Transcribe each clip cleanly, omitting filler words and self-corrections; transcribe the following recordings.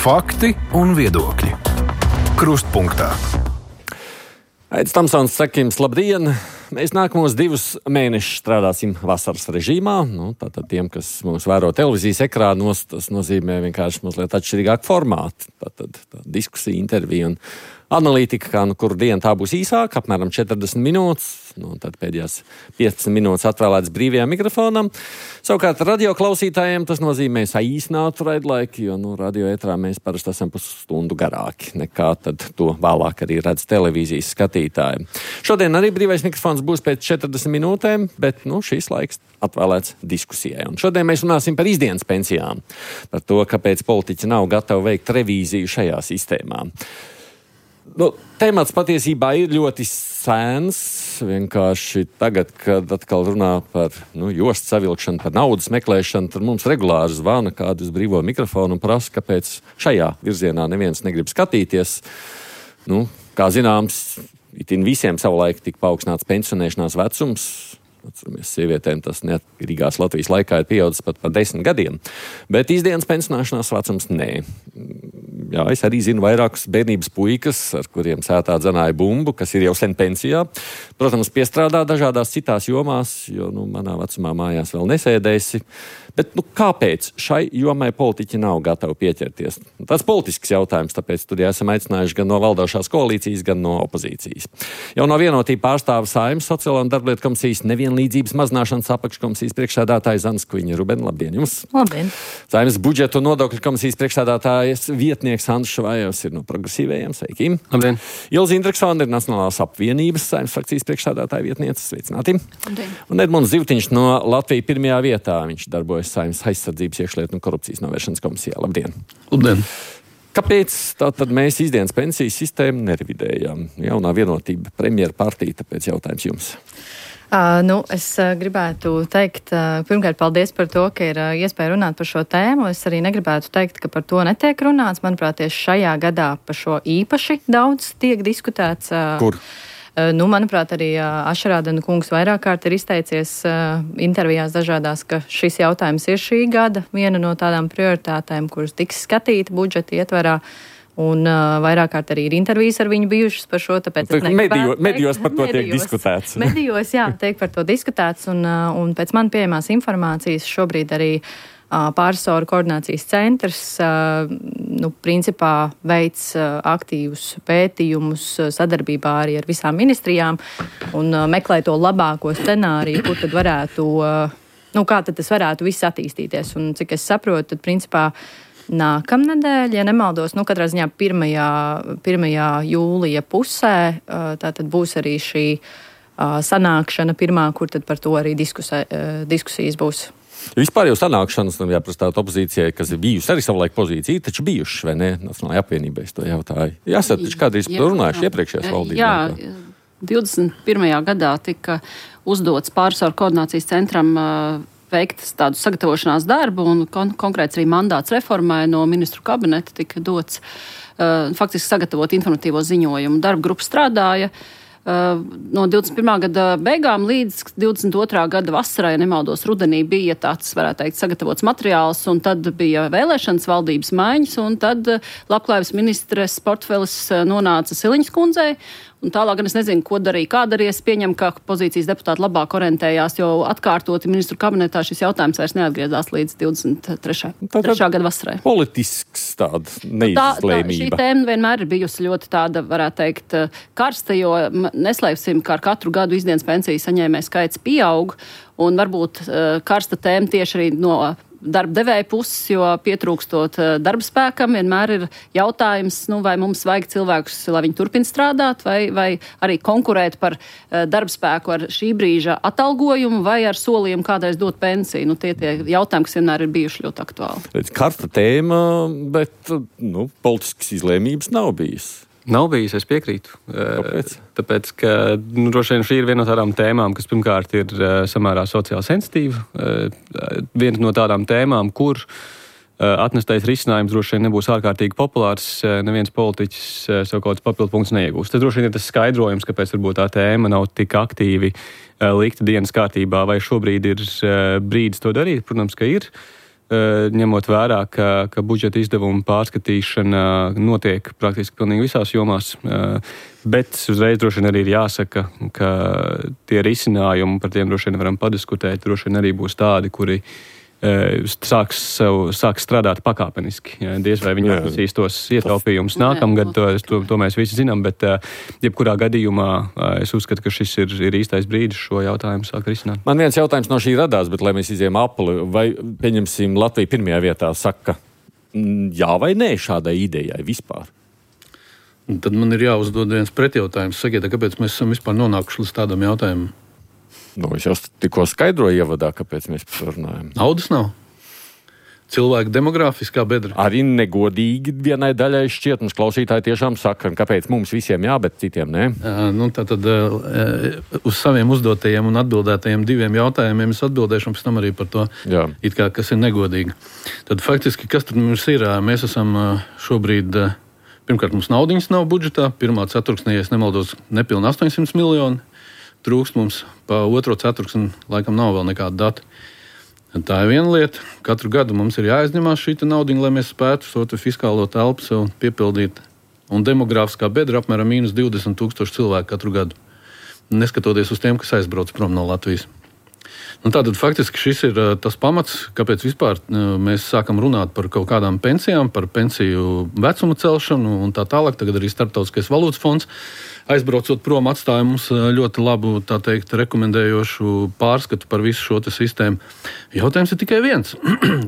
Fakti un viedokļi. Krustpunktā. Aits Tamsons saka jums labdien! Mēs nākamos 2 mēnešus strādāsim vasaras režīmā. Tātad tiem, kas mūs vēro televīzijas ekrānos, tas nozīmē vienkārši mazliet atšķirīgāku formātu. Tātad diskusija, intervija un analītika, kā kuru dienu tā būs īsāka, apmēram 40 minūtes. Tad pēdējās 15 minūtes atvēlētas brīvajam mikrofonam. Savukārt radio klausītājiem tas nozīmē saīsinātu raidlaiku, jo radio ētrā mēs parasti esam pusstundu garāki nekā tad to vēlāk arī redz televīzijas skatītāji. Šodien arī brīvais mikrofons būs pēc 40 minūtēm, bet šīs laiks atvēlēts diskusijai. Un šodien mēs runāsim par izdienas pensijām, par to, kāpēc politiķi nav gatavi veikt revīziju šajā sistēmā. Temats patiesībā ir ļoti sēns. Vienkārši tagad, kad atkal runā par jostu savilkšanu, par naudas meklēšanu, tad mums regulāri zvana kādu uz brīvo mikrofonu un prasa, kāpēc šajā virzienā neviens negrib skatīties. Kā zināms, itin visiem savulaik tika paaugstināts pensionēšanās vecums. Atceramies, sievietēm tas neatkarīgās Latvijas laikā ir pieaudzis pat par 10 gadiem. Bet izdienas pensionēšanās vecums nē. Jā, es arī zinu vairākus bērnības puikas, ar kuriem sētā dzenāja bumbu, kas ir jau sen pensijā. Protams, piestrādā dažādās citās jomās, jo manā vecumā mājās vēl nesēdēsi. Bet kāpēc šai jomai politiķi nav gatavi pieķerties? Tas politisks jautājums, tāpēc studijā esam aicinājuši gan no valdošās koalīcijas, gan no opozīcijas. Jau no Vienotība pārstāva Saeimas Sociālo un darblietu komisijas nevienlīdzības mazināšanas apakškomisijas priekšsēdētāja Zana Skviņa. Ruben, labdien jums! Labdien! Saeimas budžetu un nodokļu komisijas priekšsēdētājas vietnieks Andris Švājovs ir no Progresīvajiem. Sveiki! Labdien! Ilze Indreksone ir Nacionālās apvienības Saeimas frakcijas priekšsēdētāja vietniece. Sveicināti! Labdien! Un Edmunds Zivtiņš no Latvija pirmajā vietā. Viņš darbojas Saeimas aizsardzības, iekšlietu un korupcijas novēršanas komisijā. Labdien! Labdien! Kāpēc tātad mēs izdienas pensijas sistēmu nerevidējām? Jaunā Vienotība premjera partija, tāpēc jautājums jums. Es gribētu teikt, pirmkārt, paldies par to, ka ir iespēja runāt par šo tēmu. Es arī negribētu teikt, ka par to netiek runāts. Manuprāt, tieši šajā gadā par šo īpaši daudz tiek diskutēts. Kur? Manuprāt, arī Ašarādena kungs vairāk kārt ir izteicies intervijās dažādās, ka šis jautājums ir šī gada viena no tādām prioritātēm, kuras tiks skatīta budžeta ietvarā. Un vairāk kārt arī ir intervijas ar viņu bijušas par šo, tāpēc medijos par to tiek diskutēts. Medijos, jā, tiek par to diskutēts, un pēc man pieejamās informācijas šobrīd arī pārresoru koordinācijas centrs principā veic aktīvus pētījumus sadarbībā arī ar visām ministrijām un meklē to labāko scenāriju, kur tad varētu, kā tad tas varētu viss attīstīties. Un cik es saprotu, tad principā nākamnedēļ, ja nemaldos, katrā ziņā 1. jūlija pusē, tātad būs arī šī sanākšana pirmā, kur tad par to arī diskusijas būs. Vispār jau sanākšanas, jāprastāt opozīcijai, kas ir bijusi arī savulaik pozīcija, taču bijuši, vai ne? Nacionālajai apvienībai es to jautāju. Jāsat, taču kādreiz par to runājuši iepriekšējās valdības. Jā, 21. gadā tika uzdots pārresoru koordinācijas centram veikt tādu sagatavošanās darbu, un konkrēts arī mandāts reformai no ministru kabineta tika dots faktiski sagatavot informatīvo ziņojumu. Darba grupa strādāja no 21. gada beigām līdz 22. gada vasarai, nemaldos, rudenī bija tāds, varētu teikt, sagatavots materiāls, un tad bija vēlēšanas, valdības maiņas, un tad labklājības ministres portfelis nonāca Siliņas kundzei, un tālāk gan es nezinu, ko darīja, kā darīja. Es pieņemu, ka pozīcijas deputāti labāk orientējās, jo atkārtoti ministru kabinetā šis jautājums vairs neatgriezās līdz 23. gada vasarai. Politisks tāda neizlēmība. Šī tēma vienmēr ir bijusi ļoti tāda, varētu teikt, karsta, jo neslēpsim, ka ar katru gadu izdienas pensiju saņēmēju skaits pieaug, un varbūt karsta tēma tieši arī no darba devēja puses, jo pietrūkstot darba spēkam, vienmēr ir jautājums, vai mums vajag cilvēkus, lai viņi turpina strādāt, vai arī konkurēt par darba spēku ar šī brīža atalgojumu, vai ar solījumu kādreiz dot pensiju. Tie jautājumi, kas vienmēr ir bijuši ļoti aktuāli. Karsta tēma, bet politiskas izlēmības nav bijis. Nav bijis, es piekrītu. Kāpēc? Tāpēc, ka droši vien šī ir viena no tādām tēmām, kas pirmkārt ir samērā sociāli sensitīva. Viena no tādām tēmām, kur atnestais risinājums droši vien nebūs ārkārtīgi populārs, neviens politiķis savu kaut kāds papildu punktus neiegūs. Tas droši vien ir tas skaidrojums, kāpēc varbūt tā tēma nav tik aktīvi likta dienas kārtībā, vai šobrīd ir brīdis to darīt. Protams, ka ir. ņemot vērā, ka budžeta izdevumu pārskatīšana notiek praktiski pilnīgi visās jomās, bet uzreiz droši vien arī ir jāsaka, ka tie risinājumi, par tiem droši vien varam padiskutēt, droši vien arī būs tādi, kuri sāks strādāt pakāpeniski. Diez vai viņi atnesīs tos ietaupījumus nākamgad, to mēs visi zinām, bet jebkurā gadījumā es uzskatu, ka šis ir īstais brīdis šo jautājumu sākt risināt. Man viens jautājums no šī radās, bet lai mēs izējām apli, vai pieņemsim Latviju pirmajā vietā saka jā vai nē šādai idejai vispār? Un tad man ir jāuzdod viens pretjautājums. Sakiet, kāpēc mēs esam vispār nonākuši līdz tādam jautājumam? Es jau tikko skaidroju ievadā, kāpēc mēs par to runājam. Naudas nav. Cilvēku demogrāfiskā bedra. Arī negodīgi vienai daļai šķiet, mums klausītāji tiešām saka, kāpēc mums visiem jā, bet citiem nē. Tātad uz saviem uzdotajiem un atbildētajiem 2 jautājumiem es atbildēšu, un pēc tam arī par to, it kā, kas ir negodīgi. Tad faktiski, kas tad mums ir? Mēs esam šobrīd, pirmkārt, mums naudiņas nav budžetā, pirmā ceturksnī, ja es nemaldos, nepilni 800 miljoni. Trūkst mums pa otro ceturksni, laikam nav vēl nekāda data. Tā ir viena lieta. Katru gadu mums ir jāizņemās šī naudiņa, lai mēs spētu šo fiskālo telpu sev piepildīt. Un demogrāfiskā bedra apmēram mīnus 20,000 cilvēku katru gadu. Neskatoties uz tiem, kas aizbrauc prom no Latvijas. Tātad faktiski šis ir tas pamats, kāpēc vispār mēs sākam runāt par kaut kādām pensijām, par pensiju vecuma celšanu un tā tālāk. Tagad arī Starptautiskais valūtas fonds aizbraucot prom atstāja mums ļoti labu, tā teikt, rekomendējošu pārskatu par visu šo sistēmu. Jautājums ir tikai viens.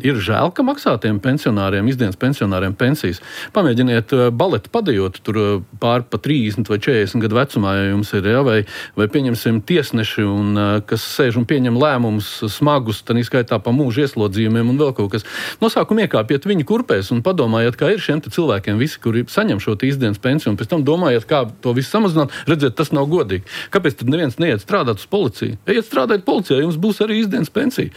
Ir žēl, ka maksātiem pensionāriem, izdienas pensionāriem pensijas. Pamēģiniet baleti padejot tur pār pa 30 vai 40 gadu vecumā, ja jums ir, vai pieņemsim tiesneši, kas sēž un pieņem lēmumus smagus, tad izskaitā pa mūža ieslodzījumiem un vēl kaut kas. No sākuma iekāpiet viņu kurpēs un padomājiet, kā ir šiem cilvēkiem visi, kuri saņem šo izdienas pensiju, un pēc tam domājiet, kā to visu samazināt. Redziet, tas nav godīgi. Kāpēc tad neviens neiet strādāt uz policiju? Ejiet strādāt policijā, jums būs arī izdienas pensija.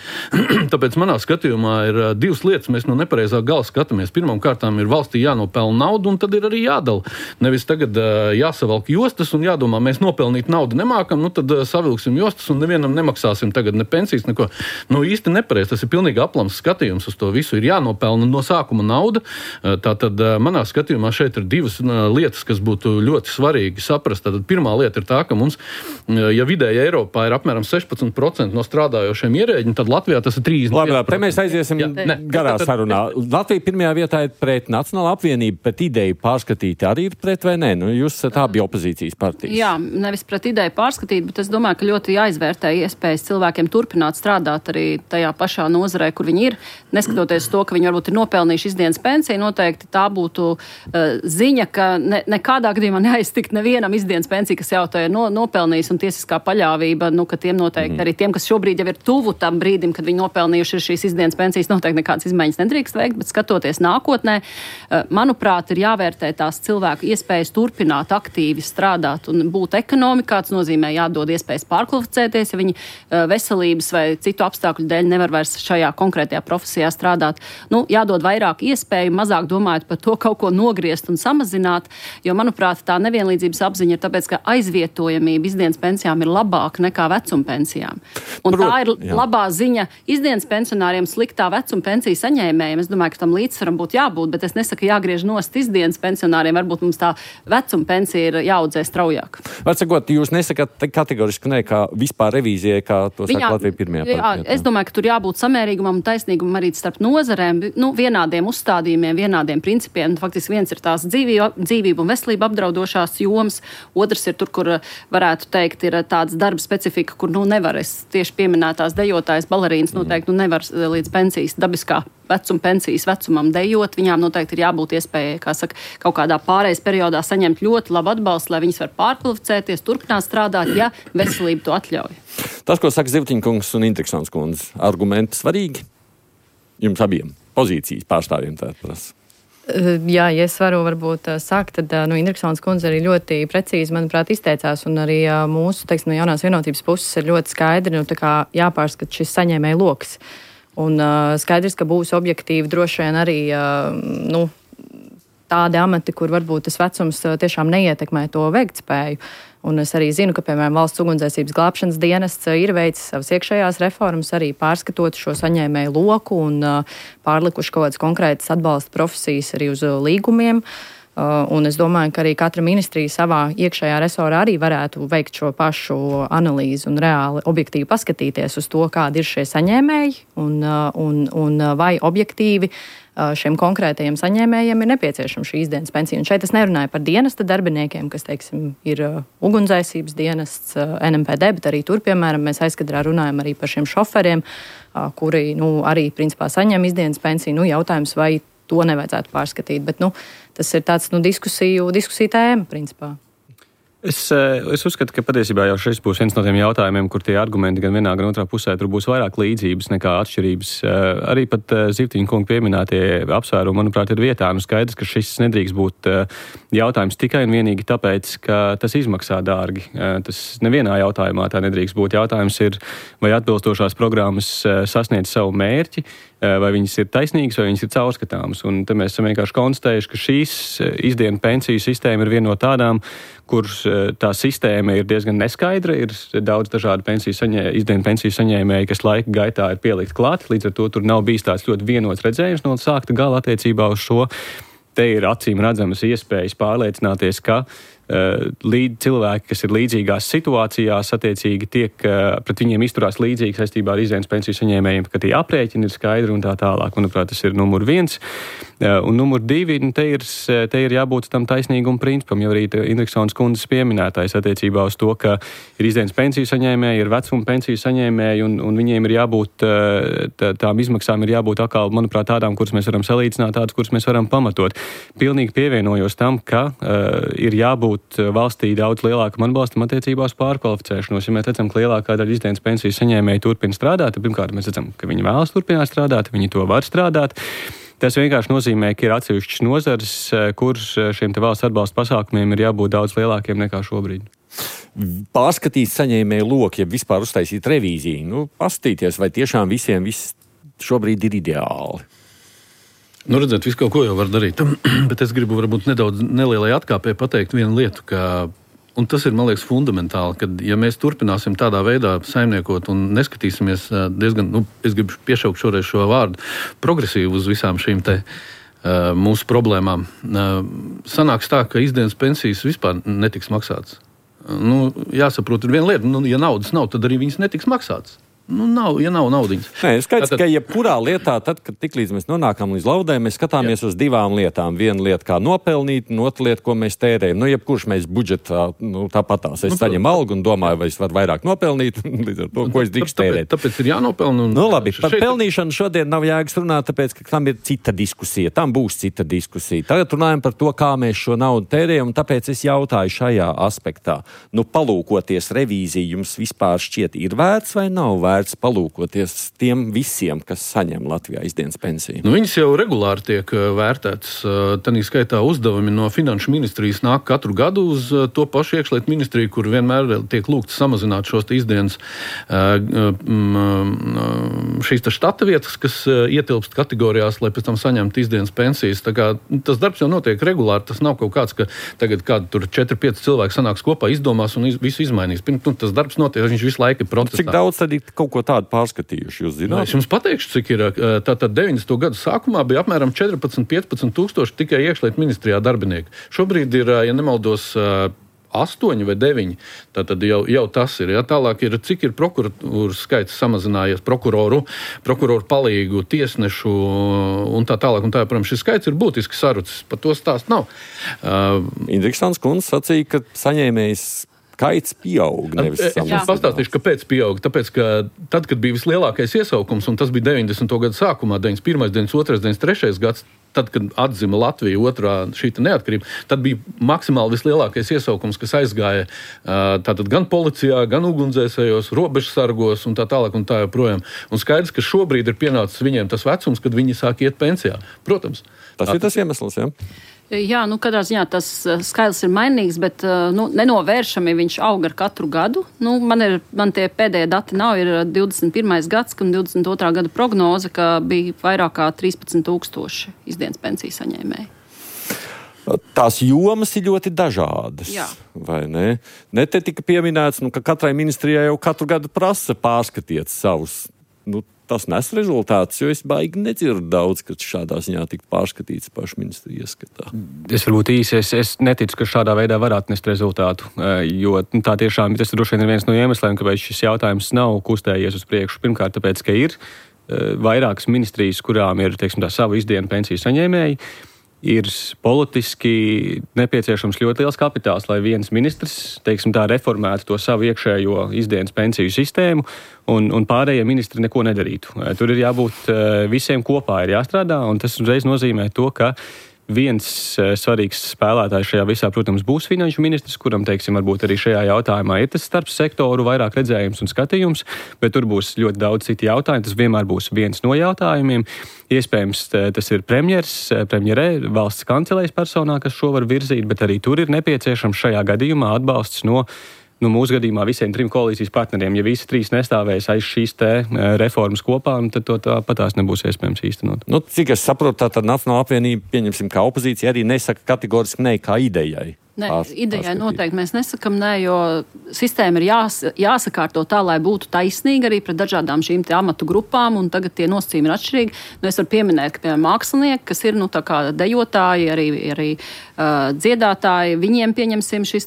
Tāpēc manā skatījumā ir 2 lietas, mēs no nepareizā gala skatāmies. Pirmām kārtām ir valstī jānopelna naudu, un tad ir arī jādala. Nevis tagad jāsavalk jostas un jādomā, mēs nopelnīt naudu nemākam, tad savilksim jostas un nevienam nemaksāsim tagad ne pensijas, neko. Īsti nepareiz, tas ir pilnīgi aplams skatījums uz to visu. Ir jānopelna no sākuma nauda. Tātad manā skatījumā šeit ir 2 lietas, kas būtu ļoti svarīgi saprast. Tātad pirmā lieta ir tā, ka mums, ja vidēji Eiropā ir apmēram 16% no strādājošiem ierēģi, tad Latvijā tas ir 30%. Labi, te mēs aiziesim garā sarunā. Latvija pirmajā vietā ir pret Nacionālo apvienību, bet ideju pārskatīt arī ir pret vai nē? Jūs esat abi opozīcijas partijas. Jā, nevis pret ideju pārskatīt, bet es domāju, ka ļoti jāizvērtē iespējas cilvēkiem turpināt strādāt arī tajā pašā nozarē, kur viņi ir. Neskatoties to, ka viņi varbūt ir nopelnījuši izdienas pensiju, noteikti tā būtu ziņa, ka nekādā gadījumā neaiztikt nevienam izdienas pensiju, kas jau to ir nopelnījis, un tiesiskā paļāvība, ka tiem noteikti arī tiem, kas šobrīd jau ir tuvu tam brīdim, kad viņi nopelnījuši šīs izdienas pensijas, noteikti nekādas izmaiņas nedrīkst veikt, bet skatoties nākotnē, manuprāt, ir jāvērtē tās cilvēku iespējas turpināt aktīvi strādāt un būt ekonomikā. Tas nozīmē jādod iespējas pārkvalificēties, ja viņi veselības vai citu apstākļu dēļ nevar vairs šajā konkrētajā profesijā strādāt. Jādod vairāk iespēju, mazāk domājot par to kaut ko nogriezt un samazināt, jo, manuprāt, tā nevienlīdzības apziņa ir tāpēc, ka aizvietojamība izdienas pensijām ir labāka nekā vecuma pensijām. Un tā ir labā ziņa izdienas pensionāriem, sliktā vecuma pensiju saņēmējiem. Es domāju, ka tam līdzsvaram būtu jābūt, bet es nesaku jāgriež nost izdienas pensionāriem. Varbūt mums tā vecuma pensija ir jāaudzē straujāk. Vecākot, jūs nesakat kategoriski ne, kā vispār revīzijai, kā to saka Latvija pirmajā partijā? Es domāju, ka tur jābūt samērīgumam un taisnīgumam arī starp nozarēm, vienādiem uzstādījumiem, vienādiem principiem. Faktiski viens ir tās dzīvību un veselību apdraudošās jomas, otrs ir tur, kur varētu teikt, ir tāds darba specifika, kur nevar, es tieši pieminētās dejotājas balerīnas noteikti nevar līdz pensijas dabiskā vecuma pensijas vecumam dejot. Viņām noteikti ir jābūt iespējai, kā saka, kaut kādā pārejas periodā saņemt ļoti labu atbalstu, lai viņas var pārkvalificēties, turpināt strādāt, ja veselība to atļauj. Tas, ko saka Zivtiņkungs un Intriksons kundze, argumenti svarīgi jums abiem pozīcijas pārstāvjiem tā prasa. Jā, ja es varu varbūt sākt, tad Intriksons kundze arī ļoti precīzi, manuprāt, izteicās, un arī mūsu, no jaunās vienotības puses ir ļoti skaidri, jāpārskat šis saņēmēju loks. Un skaidrs, ka būs objektīvi droši vien arī, tādi amati, kur varbūt tas vecums tiešām neietekmē to veiktspēju. Un es arī zinu, ka, piemēram, Valsts ugunsdzēsības glābšanas dienests ir veicis savas iekšējās reformas, arī pārskatot šo saņēmēju loku un pārlikuši kaut kādas konkrētas atbalsta profesijas arī uz līgumiem. Un es domāju, ka arī katra ministrija savā iekšējā resorā arī varētu veikt šo pašu analīzi un reāli objektīvi paskatīties uz to, kādi ir šie saņēmēji un vai objektīvi šiem konkrētajiem saņēmējiem ir nepieciešama šī izdienas pensija. Un šeit es nerunāju par dienesta darbiniekiem, kas, teiksim, ir ugunsdzēsības dienests, NMPD, bet arī tur, piemēram, mēs aizkadrā runājam arī par šiem šoferiem, kuri, arī, principā, saņem izdienas pensiju. Jautājums, vai to nevajadzētu pārskatīt, bet, tas ir tāds, diskusiju tēma, principā. Es uzskatu, ka patiesībā jau šis būs viens no tiem jautājumiem, kur tie argumenti gan vienā, gan otrā pusē tur būs vairāk līdzības nekā atšķirības. Arī pat Zivtiņa kunga pieminētie apsvērumi, manuprāt, ir vietā. Skaidrs, ka šis nedrīkst būt jautājums tikai un vienīgi tāpēc, ka tas izmaksā dārgi. Tas nevienā jautājumā tā nedrīkst būt. Jautājums ir, vai atbilstošās programmas sasniedz savu mērķi, vai viņas ir taisnīgas, vai viņas ir caurskatāmas. Un te mēs esam vienkārši konstatējuši, ka šīs izdienu pensiju sistēma ir viena no tādām, kur tā sistēma ir diezgan neskaidra, ir daudz dažādu izdienu pensiju saņēmēji, kas laika gaitā ir pielikt klāt, līdz ar to tur nav bijis tāds ļoti vienots redzējums no sākta gala attiecībā uz šo. Te ir acīm redzamas iespējas pārliecināties, ka cilvēki, kas ir līdzīgās situācijās, attiecīgi pret viņiem izturās līdzīgi saistībā ar izdienas pensiju saņēmējiem, ka tie aprēķini ir skaidri un tā tālāk. Manuprāt, tas ir numur 1. Un numur 2, te ir jābūt tam taisnīguma principam, jau arī Indriksons kundzes pieminētais attiecībā uz to, ka ir izdienas pensiju saņēmēji, ir vecuma pensiju saņēmēji, un viņiem ir jābūt, tām izmaksām ir jābūt atkal, manuprāt, tādām, kuras mēs varam salīdzināt, tādas, kuras mēs varam pamatot. Pilnīgi pievienojos tam, ka ir jābūt valstī daudz lielākam atbalstam attiecībās pārkvalificēšanos. Ja mēs redzam, ka lielākā daļa izdienas pensiju saņēmēji turpina strādāt, tad pirmkārt mēs redzam, ka viņi vēlas turpināt strādāt, viņi to var strādāt. Tas vienkārši nozīmē, ka ir atsevišķas nozares, kur šiem te valsts atbalsta pasākumiem ir jābūt daudz lielākiem nekā šobrīd. Pārskatīt saņēmēju loku, ja vispār uztaisīt revīziju, paskatīties, vai tiešām visiem viss šobrīd ir ideāli. Redzēt, visu kaut ko jau var darīt, bet es gribu varbūt nedaudz nelielai atkāpē pateikt vienu lietu, un tas ir, man liekas, fundamentāli, ka ja mēs turpināsim tādā veidā saimniekot un neskatīsimies diezgan, es gribu piešaukt šoreiz šo vārdu, progresīvi uz visām šīm te mūsu problēmām, sanāks tā, ka izdienas pensijas vispār netiks maksātas. Jāsaprot, ir viena lieta, ja naudas nav, tad arī viņas netiks maksātas. Ja nav naudiņas. Nē, skaidrs, ka jebkurā lietā, tad, kad tiklīdz mēs nonākam līdz laudēm, mēs skatāmies uz divām lietām. Viena lieta, kā nopelnīt, un otra lieta, ko mēs tērējam. Jebkurš mēs budžetā, tāpatās. Es saņemu algu un domāju, vai es varu vairāk nopelnīt, līdz ar to, ko es drīkst tērēt. Tāpēc ir jānopelna. Labi, par pelnīšanu šodien nav jēgas runāt, tāpēc, ka tam ir cita diskusija. Tam būs cita diskusija. Tagad runājam par to, kā mēs šo naudu tērējam, un tāpēc es jautāju šajā aspektā. Palūkoties revīziju, jums vispār šķiet ir vērts vai nav vērts palūkoties tiem visiem, kas saņem Latvijā izdienas pensiju? Viņas jau regulāri tiek vērtētas. Tanī skaitā uzdevumi no Finanšu ministrijas nāk katru gadu uz to pašu iekšlietu ministriju, kur vienmēr tiek lūgts samazināt šos izdienas šīs štata vietas, kas ietilpst kategorijās, lai pēc tam saņemtu izdienas pensijas. Tā kā tas darbs jau notiek regulāri. Tas nav kaut kāds, ka tagad kādi tur 4-5 cilvēki sanāks kopā, izdomās un visu izmainīs. Tas darbs notiek, viņš visu laiku ir protestā. Cik daudz tad ir kaut ko tādu pārskatījuši, jūs zināt? Es jums pateikšu, cik ir. Tātad 90. gadu sākumā bija apmēram 14-15 tūkstoši tikai iekšlietu ministrijā darbinieki. Šobrīd ir, ja nemaldos, 8 vai 9. Tātad jau tas ir. Ja? Tālāk ir, cik ir prokuratūras skaits samazinājies, prokuroru palīgu, tiesnešu un tā tālāk. Un tā, protams, šis skaits ir būtiski sarucis. Par to stāst nav. Indriksons kundze sacīja, ka saņēmējs skaits pieaug, nevis samazinās. Es pastāstīšu, kāpēc pieaug. Tāpēc, ka tad, kad bija vislielākais iesaukums, un tas bija 90. gadu sākumā, 91., 92., 93. gads, tad, kad atzima Latvija otrā šī neatkarība, tad bija maksimāli vislielākais iesaukums, kas aizgāja tātad gan policijā, gan ugunsdzēsējos, robežsargos un tā tālāk un tā joprojām. Un skaidrs, ka šobrīd ir pienācis viņiem tas vecums, kad viņi sāk iet pensijā. Protams. Tas ir tas iemesls, jā? Jā, katrā ziņā tas skaidrs ir mainīgs, bet nenovēršami viņš aug ar katru gadu. Man tie pēdējie dati nav, ir 21. gads un 22. gada prognoze, ka bija vairāk kā 13 000 izdienas pensiju saņēmēji. Tās jomas ir ļoti dažādas. Jā. Vai ne? Ne te tika pieminēts, ka katrai ministrijai jau katru gadu prasa pārskatiet savus. Tas nes rezultātus, jo es baigi nedzirdu daudz, ka šādā ziņā tiktu pārskatīts pašu ministriju ieskatā. Es varbūt īsi, es neticu, ka šādā veidā varētu nest rezultātu, jo tā tiešām tas droši vien ir viens no iemesliem, kāpēc šis jautājums nav kustējies uz priekšu. Pirmkārt, tāpēc, ka ir vairākas ministrijas, kurām ir, teiksim, tā savu izdienu pensiju saņēmēji, ir politiski nepieciešams ļoti liels kapitāls, lai viens ministrs, teiksim tā, reformētu to savu iekšējo izdienas pensiju sistēmu un pārējie ministri neko nedarītu. Tur ir jābūt visiem kopā, ir jāstrādā, un tas uzreiz nozīmē to, ka viens svarīgs spēlētājs šajā visā, protams, būs finanšu ministrs, kuram, teiksim, varbūt arī šajā jautājumā ir tas starp sektoru vairāk redzējums un skatījums, bet tur būs ļoti daudz citu jautājumu. Tas vienmēr būs viens no jautājumiem. Iespējams, tas ir premjerē, valsts kancelējas personā, kas šo var virzīt, bet arī tur ir nepieciešams šajā gadījumā atbalsts no mūsu gadījumā visiem 3 koalīcijas partneriem. Ja visi 3 nestāvēs aiz šīs reformas kopā, tad to tāpatās nebūs iespējams īstenot. Cik es saprotu, tad Nacionālā apvienība, pieņemsim, kā opozīcija, arī nesaka kategoriski ne kā idejai. Nē, idejai noteikti mēs nesakam nē, jo sistēma ir jāsakārto tā, lai būtu taisnīga arī pret dažādām šīm amatu grupām, un tagad tie nosacījumi ir atšķirīgi. Es varu pieminēt, ka, piemēram, mākslinieki, kas ir, tā kā dejotāji, arī dziedātāji, viņiem, pieņemsim, šis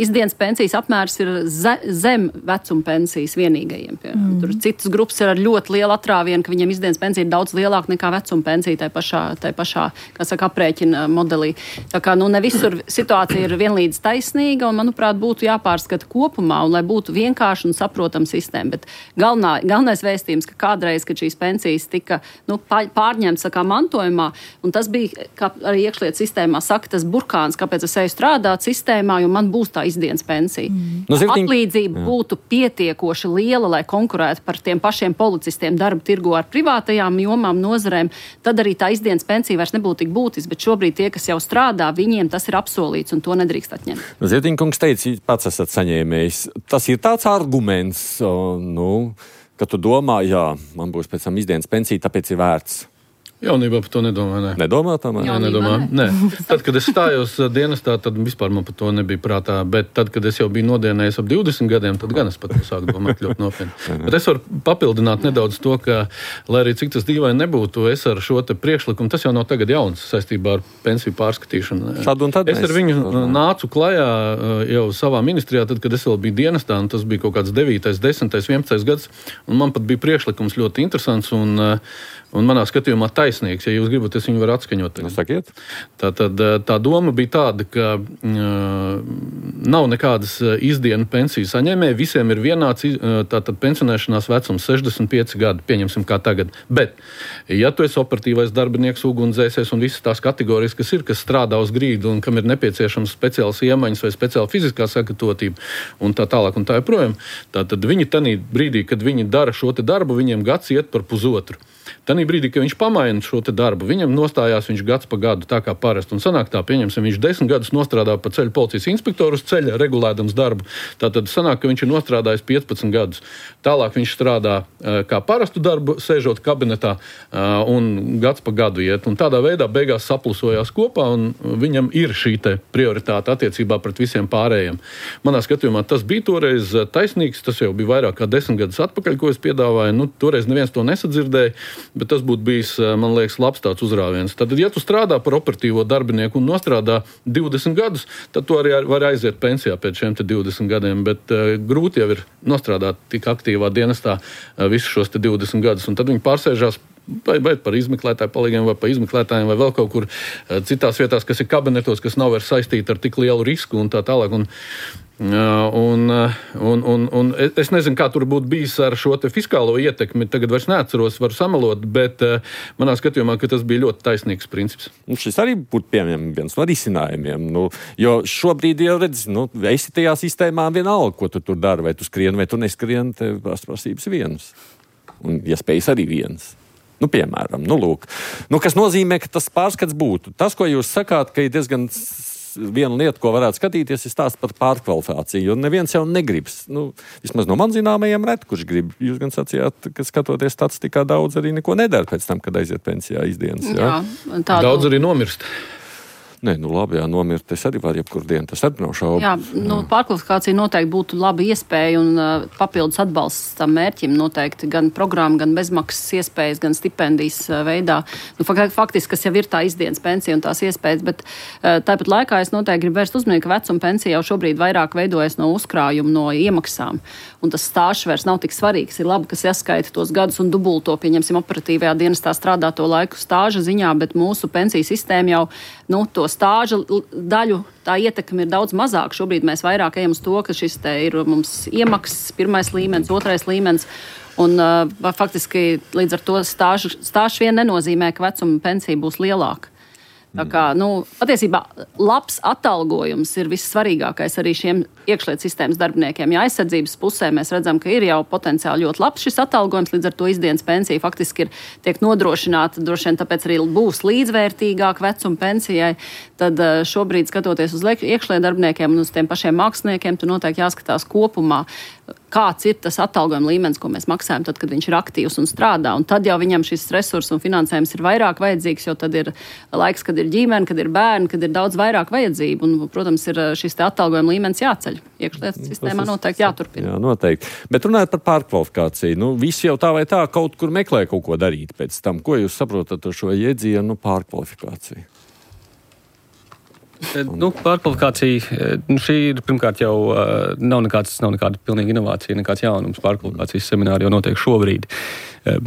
izdienas pensijas apmērs ir zem vecuma pensijas vienīgajiem. Tur citas grupas ir ar ļoti lielu atrāvienu, ka viņiem izdienas pensija ir daudz lielāka nekā vecuma pensija tai pašā, kā saka, aprēķina modelī. Tā kā, ne visur situācija ir vienlīdz taisnīga un, manuprāt, būtu jāpārskata kopumā un lai būtu vienkārši un saprotama sistēma. Bet galvenais vēstījums, ka kādreiz, kad šīs pensijas tika pārņemtas kā mantojumā, un tas bija, kā arī iekšlietu sistēmā saka, tas burkāns, kāpēc es eju strādāt sistēmā, jo man būs tā izdienas pensija. Atlīdzība būtu pietiekoši liela, lai konkurētu par tiem pašiem policistiem darba tirgu ar privātajām jomām, nozarēm, tad arī tā izdienas pensija vairs nebūtu tik būtiska, bet šobrīd tie, kas jau strādā, viņiem tas ir apsolīts, un to nedrīkst atņemt. Zietiņkungs teica, pats esat saņēmējis. Tas ir tāds arguments, ka tu domā, man būs pēc tam izdienas pensija, tāpēc ir vērts. Jaunībā par to nedomāju. Nē. Nedomā tomēr? Nē. Tad, kad es stājos dienestā, tad vispār man par to nebija prātā. Bet tad, kad es jau biju nodienējis ap 20 gadiem, tad gan es pat to sāku domāt ļoti nopietni. Bet es varu papildināt nedaudz to, ka, lai arī cik tas dīvaini nebūtu, es ar šo te priekšlikumu, tas jau nav tagad jauns saistībā ar pensiju pārskatīšanu. Es ar viņu nācu klajā jau savā ministrijā, tad, kad es vēl biju dienestā, un tas bija kaut kāds 9., 10., 11. gads, un man pat bija priekšlikums ļoti interesants un manā skatījumā taisnīgs. Ja jūs gribat, es viņu varu atskaņot. Tā doma bija tāda, ka nav nekādas izdienu pensiju saņēmēji. Visiem ir vienāds pensionēšanās vecums 65 gadi, pieņemsim kā tagad. Bet, ja tu esi operatīvais darbinieks, ugunsdzēsējs un visas tās kategorijas, kas strādā uz grīdu un kam ir nepieciešams speciāls iemaņas vai speciāla fiziskā sagatavotība un tā tālāk un tā joprojām, tad viņi tanī brīdī, kad viņi dara šo te darbu, viņiem gads iet par pusotru. Tanī brīdī, kad viņš pamaina šo te darbu, viņam nostājās viņš gads pa gadu, tā kā parasti. Un sanāk tā, pieņemsim, viņš 10 gadus nostrādā pa ceļu policijas inspektoru uz ceļa, regulēdams darbu. Tātad sanāk, ka viņš ir nostrādājis 15 gadus. Tālāk viņš strādā kā parastu darbu, sēžot kabinetā, un gads pa gadu iet. Un tādā veidā beigās saplusojās kopā, un viņam ir šī te prioritāte attiecībā pret visiem pārējiem. Manā skatījumā tas bija toreiz taisnīgs, tas jau bija vairāk kā 10 gadus atpakaļ, ko es piedāvāju. Toreiz neviens to nesadzirdēja. Bet tas būtu bijis, man liekas, labs tāds uzrāviens. Tad, ja tu strādā par operatīvo darbinieku un nostrādā 20 gadus, tad tu arī var aiziet pensijā pēc šiem 20 gadiem. Bet grūti jau ir nostrādāt tik aktīvā dienestā visus šos 20 gadus. Un tad viņi pārsēžās vai par izmeklētāju palīgiem, vai par izmeklētājiem, vai vēl kaut kur citās vietās, kas ir kabinetos, kas nav vairs saistīti ar tik lielu risku un tā tālāk. Un es nezinu, kā tur būtu bijis ar šo te fiskālo ietekmi. Tagad vairs neatceros, varu samalot, bet manā skatījumā, ka tas bija ļoti taisnīgs princips. Šis arī būtu piemēram viens no risinājumiem. Jo šobrīd jau redz, esi tajā sistēmā vienalga, ko tu tur dari, vai tu skrieni, vai tu neskrieni, tev prasības vienas. Un iespējas arī vienas. Piemēram, lūk. Kas nozīmē, ka tas pārskats būtu. Tas, ko jūs sakāt, ka ir diezgan viena lieta, ko varētu skatīties, ir stāsts par pārkvalifikāciju, jo neviens jau negribas. Vismaz no man zināmajiem ret, kurš grib. Jūs gan sacījāt, ka skatoties statistikā daudz arī neko nedara pēc tam, kad aiziet pensijā izdienas. Jā? Daudz arī nomirst. Nē, labi, nomirt, es arī varu jebkur dienu, tas arī nav šaubu. Jā, pārkvalifikācija noteikti būtu laba iespēja un papildus atbalsts tam mērķim noteikti gan programma, gan bezmaksas iespējas, gan stipendijas veidā. Faktiski, kas jau ir tā izdienas pensija un tās iespējas, bet tāpat laikā es noteikti gribu vērst uzmanību, ka vecuma pensija jau šobrīd vairāk veidojas no uzkrājuma, no iemaksām. Un tas stāžs vairs nav tik svarīgs. Ir labi, kas ieskaita tos gadus un dubulto, pieņemsim, operatīvajā dienestā strādāto laiku stāža ziņā, bet mūsu pensiju sistēma jau, to stāža daļu, tā ietekme ir daudz mazāk. Šobrīd mēs vairāk ejam uz to, ka šis te ir mums iemaksas, 1. līmenis, 2. līmenis. Un faktiski līdz ar to stāžs vien nenozīmē, ka vecuma pensija būs lielāka. Tā kā, patiesībā labs atalgojums ir vissvarīgākais arī šiem iekšlietu sistēmas darbiniekiem. Ja aizsardzības pusē mēs redzam, ka ir jau potenciāli ļoti labs šis atalgojums, līdz ar to izdienas pensija faktiski tiek nodrošināta, droši vien tāpēc arī būs līdzvērtīgāk vecuma pensijai, tad šobrīd skatoties uz iekšlietu darbiniekiem un uz tiem pašiem māksliniekiem, tur noteikti jāskatās kopumā, kāds ir tas atalgojuma līmenis, ko mēs maksājam tad, kad viņš ir aktīvs un strādā. Un tad jau viņam šis resurs un finansējums ir vairāk vajadzīgs, jo tad ir laiks, kad ir ģimene, kad ir bērni, kad ir daudz vairāk vajadzību. Un, protams, ir šis te atalgojuma līmenis jāceļ. Iekšlietu sistēmā noteikti jāturpina. Jā, noteikti. Bet runājot par pārkvalifikāciju, visi jau tā vai tā kaut kur meklē kaut ko darīt pēc tam. Ko jūs saprotat ar šo jēdzienu pārkvalifikāciju? Pārkvalifikācija, šī ir pirmkārt jau nav nekāda pilnīga inovācija, nekāds jaunums. Pārkvalifikācijas semināri jau notiek šobrīd.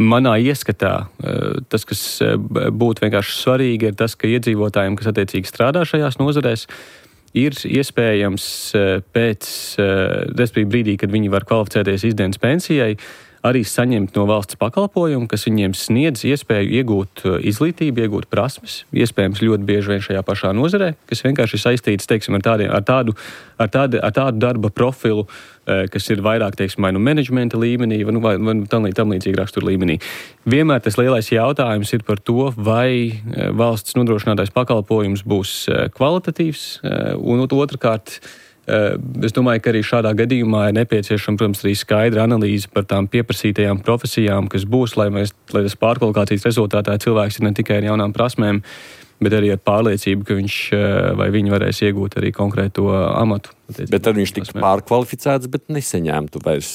Manā ieskatā tas, kas būtu vienkārši svarīgi, ir tas, ka iedzīvotājiem, kas attiecīgi strādā šajās nozarēs, ir iespējams respektīvi brīdī, kad viņi var kvalificēties izdienas pensijai, arī saņemt no valsts pakalpojumu, kas viņiem sniedz iespēju iegūt izglītību, iegūt prasmes, iespējams ļoti bieži vien šajā pašā nozarē, kas vienkārši ir saistīts, teiksim, ar tādu darba profilu, kas ir vairāk, teiksim, vai menedžmenta līmenī, vai tam līdzīgi rakstura līmenī. Vienmēr tas lielais jautājums ir par to, vai valsts nodrošinātais pakalpojums būs kvalitatīvs, un otrkārt, es domāju, ka arī šādā gadījumā ir nepieciešama, protams, arī skaidra analīze par tām pieprasītajām profesijām, kas būs, lai tas pārkvalifikācijas rezultātā cilvēks ir ne tikai ar jaunām prasmēm, bet arī ar pārliecību, ka viņš vai viņi varēs iegūt arī konkrēto amatu. Bet tad viņš tiktu pārkvalificēts, bet nesaņemtu vairs,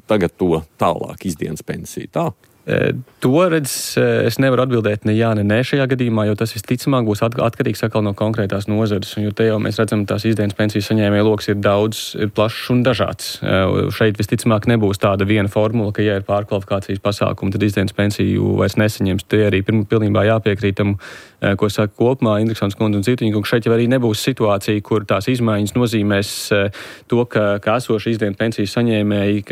tagad to tālāk izdienas pensiju, tā? To es nevaru atbildēt ne jā, ne nē šajā gadījumā, jo tas visticamāk būs atkarīgs atkal no konkrētās nozares. Jo te jau mēs redzam, tās izdienas pensijas saņēmēju loks ir plašs un dažāds. Šeit visticamāk nebūs tāda viena formula, ka ja ir pārkvalifikācijas pasākumi, tad izdienas pensiju vairs nesaņems. Te arī pilnībā jāpiekrīt tam, ko saka kopumā Indriksons kundze un Citiņa, ka šeit jau arī nebūs situācija, kur tās izmaiņas nozīmēs to, ka esoši izdienas pensijas saņēmēji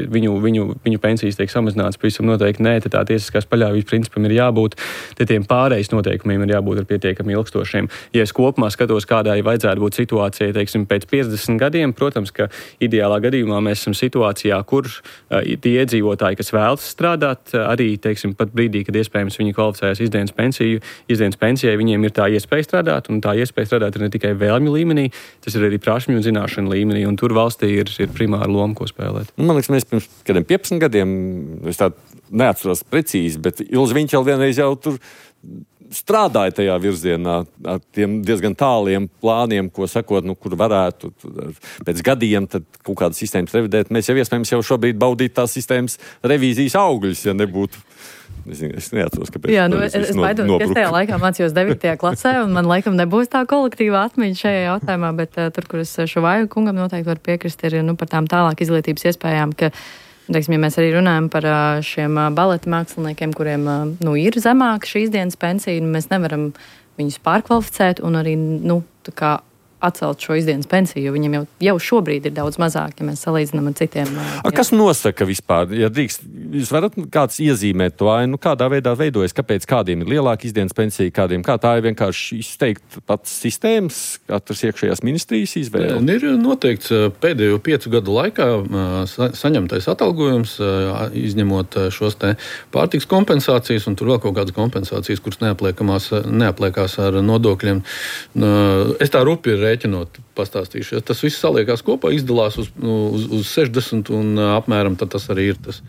viņu pensijas tiek samazināts, pavisam noteikti nē, tā tiesiskās paļāvības principam ir jābūt, tiem pārejas noteikumiem ir jābūt ar pietiekami ilgstošiem. Ja es kopumā skatos, kādai vajadzētu būt situācijai, teiksim, pēc 50 gadiem, protams, ka ideālā gadījumā mēs esam situācijā, kur tie iedzīvotāji, kas vēlas strādāt, arī, teiksim, pat brīdī, kad iespējams viņi kvalificējas izdienas pensijai, viņiem ir tā iespēja strādāt, un tā iespēja strādāt ir ne tikai vēlmju līmenī, tas ir arī prasmju un zināšanu līmenī, un tur valstī ir primāra loma, ko spēlēt. Man liekas, mēs pirms kādiem 15 gadiem, es tā neatceros precīzi, bet Ilze viņš jau vienreiz jau tur strādāja tajā virzienā ar tiem diezgan tāliem plāniem, ko sakot, kur varētu pēc gadiem tad kaut kādas sistēmas revidēt. Mēs jau iespējams šobrīd baudīt tās sistēmas revīzijas augļus, ja nebūtu. Es neatceros, kāpēc. Jā, es baidos, ka es tajā laikā mācījos 9. klasē, un man laikam nebūs tā kolektīva atmiņa šajā jautājumā, bet tur, kur es Šuvāju kungam noteikti varu piekrist, ir par tām tālāk izglītības iespējām, ka, teiksim, ja mēs arī runājam par šiem baleta māksliniekiem, kuriem ir zemāka šīs dienas pensija, mēs nevaram viņus pārkvalificēt un arī, tā kā atcelt šo izdienas pensiju, jo viņiem jau šobrīd ir daudz mazāk, ja mēs salīdzinām ar citiem. Kas nosaka vispār? Ja drīkst, jūs varat kāds iezīmēt to, kādā veidā veidojas, kāpēc kādiem ir lielāka izdienas pensija, kādiem, kā tā ir vienkārši izteikt pats sistēmas, katras iekšējās ministrijas izvēle? Ir noteikts pēdējo 5 gadu laikā saņemtais atalgojums, izņemot šos te pārtiks kompensācijas, un tur vēl kaut kādas kompensācijas, kuras neapliekās ar nodokļiem. Es tā rupi rēķinot pastāstīšu. Tas viss saliekās kopā, izdalās uz 60 un apmēram tad tas arī ir tas.